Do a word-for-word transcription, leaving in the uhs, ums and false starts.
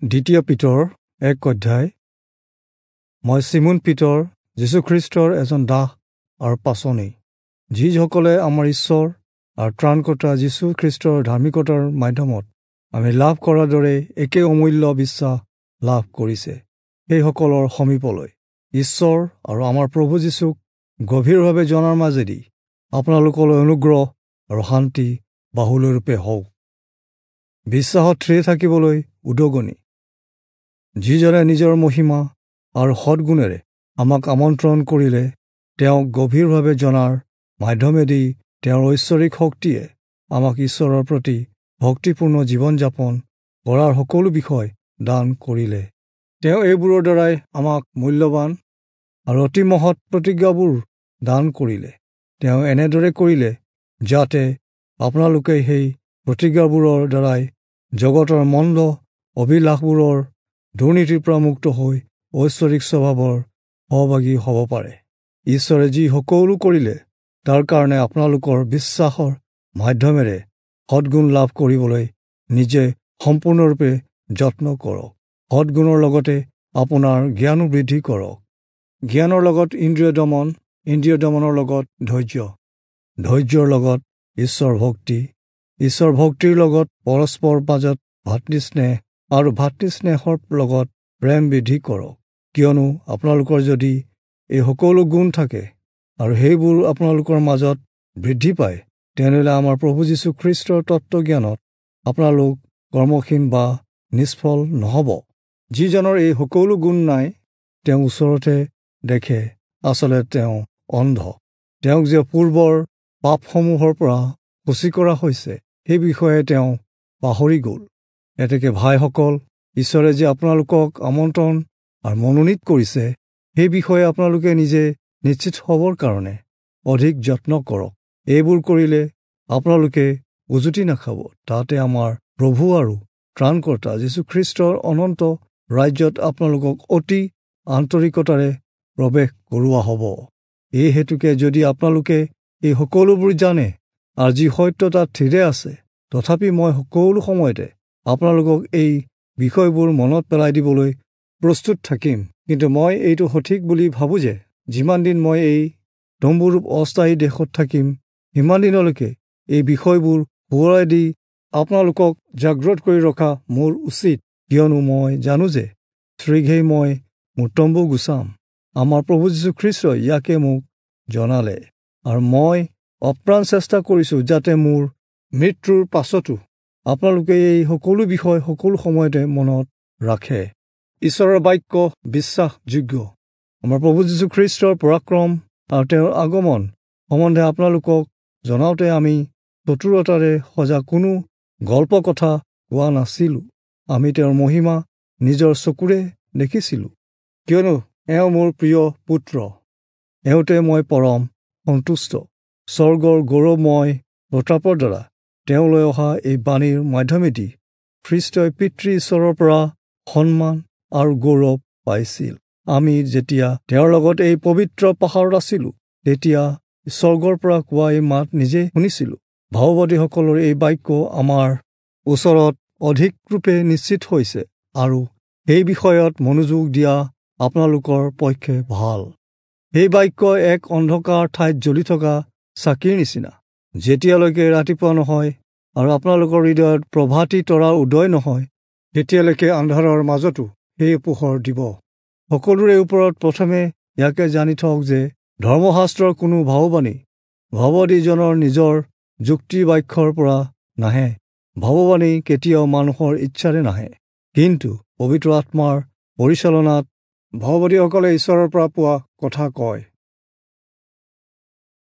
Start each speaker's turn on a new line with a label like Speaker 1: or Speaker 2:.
Speaker 1: দ্বিতীয় পিতৰ এক অধ্যায়। মই চিমোন পিতৰ, যীশুখ্ৰীষ্টৰ এজন দাস আৰু পাচনি, যিসকলে আমাৰ ঈশ্বৰ আৰু ত্ৰাণকৰ্তা যীশুখ্ৰীষ্টৰ ধাৰ্মিকতাৰ মাধ্যমত আমি লাভ কৰাৰ দৰে একে অমূল্য বিশ্বাস লাভ কৰিছে, সেইসকলৰ সমীপলৈ ঈশ্বৰ আৰু আমাৰ প্ৰভু যীশুক গভীৰভাৱে জনাৰ মাজেদি আপোনালোকলৈ অনুগ্ৰহ আৰু শান্তি বাহুল্যৰূপে হওক। বিশ্বাসত থিৰে থাকিবলৈ উদগনি। যিজনে নিজৰ মহিমা আৰু সদ্গুণেৰে আমাক আমন্ত্ৰণ কৰিলে, তেওঁক গভীৰভাৱে জনাৰ মাধ্যমেদি তেওঁৰ ঐশ্বৰিক শক্তিয়ে আমাক ঈশ্বৰৰ প্ৰতি ভক্তিপূৰ্ণ জীৱন-যাপন কৰাৰ সকলো বিষয় দান কৰিলে। তেওঁ এইবোৰৰ দ্বাৰাই আমাক মূল্যৱান আৰু অতি মহৎ প্ৰতিজ্ঞাবোৰ দান কৰিলে। তেওঁ এনেদৰে কৰিলে যাতে আপোনালোকে সেই প্ৰতিজ্ঞাবোৰৰ দ্বাৰাই জগতৰ মন্দ অভিলাষবোৰৰ দুৰ্নীতিৰ পৰা মুক্ত হৈ ঐশ্বৰিক স্বভাৱৰ সহভাগী হ'ব পাৰে। ঈশ্বৰে যি সকলো কৰিলে, তাৰ কাৰণে আপোনালোকৰ বিশ্বাসৰ মাধ্যমেৰে সদ্গুণ লাভ কৰিবলৈ নিজে সম্পূৰ্ণৰূপে যত্ন কৰক। সদ্গুণৰ লগতে আপোনাৰ জ্ঞানো বৃদ্ধি কৰক। জ্ঞানৰ লগত ইন্দ্ৰিয় দমন, ইন্দ্ৰিয় দমনৰ লগত ধৈৰ্য, ধৈৰ্যৰ লগত ঈশ্বৰ ভক্তি, ঈশ্বৰ ভক্তিৰ লগত পৰস্পৰ মাজত ভাতৃস্নেহ আৰু ভাতৃস্নেহৰ লগত প্ৰেম বৃদ্ধি কৰক। কিয়নো আপোনালোকৰ যদি এই সকলো গুণ থাকে আৰু সেইবোৰ আপোনালোকৰ মাজত বৃদ্ধি পায়, তেনেহ'লে আমাৰ প্ৰভু যীশু খ্ৰীষ্টৰ তত্ত্বজ্ঞানত আপোনালোক কৰ্মহীন বা নিষ্ফল নহ'ব। যিজনৰ এই সকলো গুণ নাই, তেওঁ ওচৰতে দেখে, আচলতে তেওঁ অন্ধ। তেওঁক যে পূৰ্বৰ পাপসমূহৰ পৰা সূচী কৰা হৈছে, সেই বিষয়ে তেওঁ পাহৰি গ'ল। এতেকে ভাইসকল, ঈশ্বৰে যে আপোনালোকক আমন্ত্ৰণ আৰু মনোনীত কৰিছে, সেই বিষয়ে আপোনালোকে নিজে নিশ্চিত হ'বৰ কাৰণে অধিক যত্ন কৰক। এইবোৰ কৰিলে আপোনালোকে উজুতি নাখাব। তাতে আমাৰ প্ৰভু আৰু ত্ৰাণকৰ্তা যীশুখ্ৰীষ্টৰ অনন্ত ৰাজ্যত আপোনালোকক অতি আন্তৰিকতাৰে প্ৰৱেশ কৰোৱা হ'ব। এই হেতুকে যদি আপোনালোকে এই সকলোবোৰ জানে আৰু যি সত্য তাত থিৰে আছে, তথাপি মই সকলো সময়তে আপোনালোকক এই বিষয়বোৰ মনত পেলাই দিবলৈ প্ৰস্তুত থাকিম। কিন্তু মই এইটো সঠিক বুলি ভাবোঁ যে যিমান দিন মই এই তম্বুৰূপ অস্থায়ী দেশত থাকিম, সিমান দিনলৈকে এই বিষয়বোৰ সোঁৱৰাই দি আপোনালোকক জাগ্ৰত কৰি ৰখা মোৰ উচিত। কিয়নো মই জানো যে শীঘ্ৰেই মই মোৰ তম্বু গুচাম। আমাৰ প্ৰভু যীশুখ্ৰীষ্টই ইয়াকে মোক জনালে, আৰু মই অপ্ৰাণ চেষ্টা কৰিছোঁ যাতে মোৰ মৃত্যুৰ পাছতো আপোনালোকে এই সকলো বিষয় সকলো সময়তে মনত ৰাখে। ঈশ্বৰৰ বাক্য বিশ্বাসযোগ্য। আমাৰ প্ৰভু যীশুখ্ৰীষ্টৰ পৰাক্ৰম আৰু তেওঁৰ আগমন সম্বন্ধে আপোনালোকক জনাওঁতে আমি চতুৰতাৰে সজা কোনো গল্প কথা কোৱা নাছিলোঁ। আমি তেওঁৰ মহিমা নিজৰ চকুৰে দেখিছিলোঁ। কিয়নো এওঁ মোৰ প্ৰিয় পুত্ৰ, এওঁতে মই পৰম সন্তুষ্ট। স্বৰ্গৰ গৌৰৱময় প্ৰতাপৰ দ্বাৰা তেওঁলৈ অহা এই বাণীৰ মাধ্যমেদি খ্ৰীষ্টই পিতৃ ঈশ্বৰৰ পৰা সন্মান আৰু গৌৰৱ পাইছিল। আমি যেতিয়া তেওঁৰ লগত এই পবিত্ৰ পাহাৰত আছিলোঁ, তেতিয়া স্বৰ্গৰ পৰা কোৱা এই মাত নিজে শুনিছিলোঁ। ভাওবাদীসকলৰ এই বাক্য আমাৰ ওচৰত অধিক ৰূপে নিশ্চিত হৈছে আৰু সেই বিষয়ত মনোযোগ দিয়া আপোনালোকৰ পক্ষে ভাল। সেই বাক্য এক অন্ধকাৰ ঠাইত জ্বলি থকা চাকিৰ নিচিনা, যেতিয়ালৈকে ৰাতিপুৱা নহয় আৰু আপোনালোকৰ হৃদয়ত প্ৰভাতী তৰাৰ উদয় নহয়, তেতিয়ালৈকে আন্ধাৰৰ মাজতো সেই পোহৰ দিব। সকলোৰে ওপৰত প্ৰথমে ইয়াকে জানি থওক যে ধৰ্মশাস্ত্ৰৰ কোনো ভাৱবাণী ভাৱবাদীজনৰ নিজৰ যুক্তি বাক্যৰ পৰা নাহে। ভাৱবাণী কেতিয়াও মানুহৰ ইচ্ছাৰে নাহে, কিন্তু পবিত্ৰ আত্মাৰ পৰিচালনাত ভাৱবাদীসকলে ঈশ্বৰৰ পৰা পোৱা কথা কয়।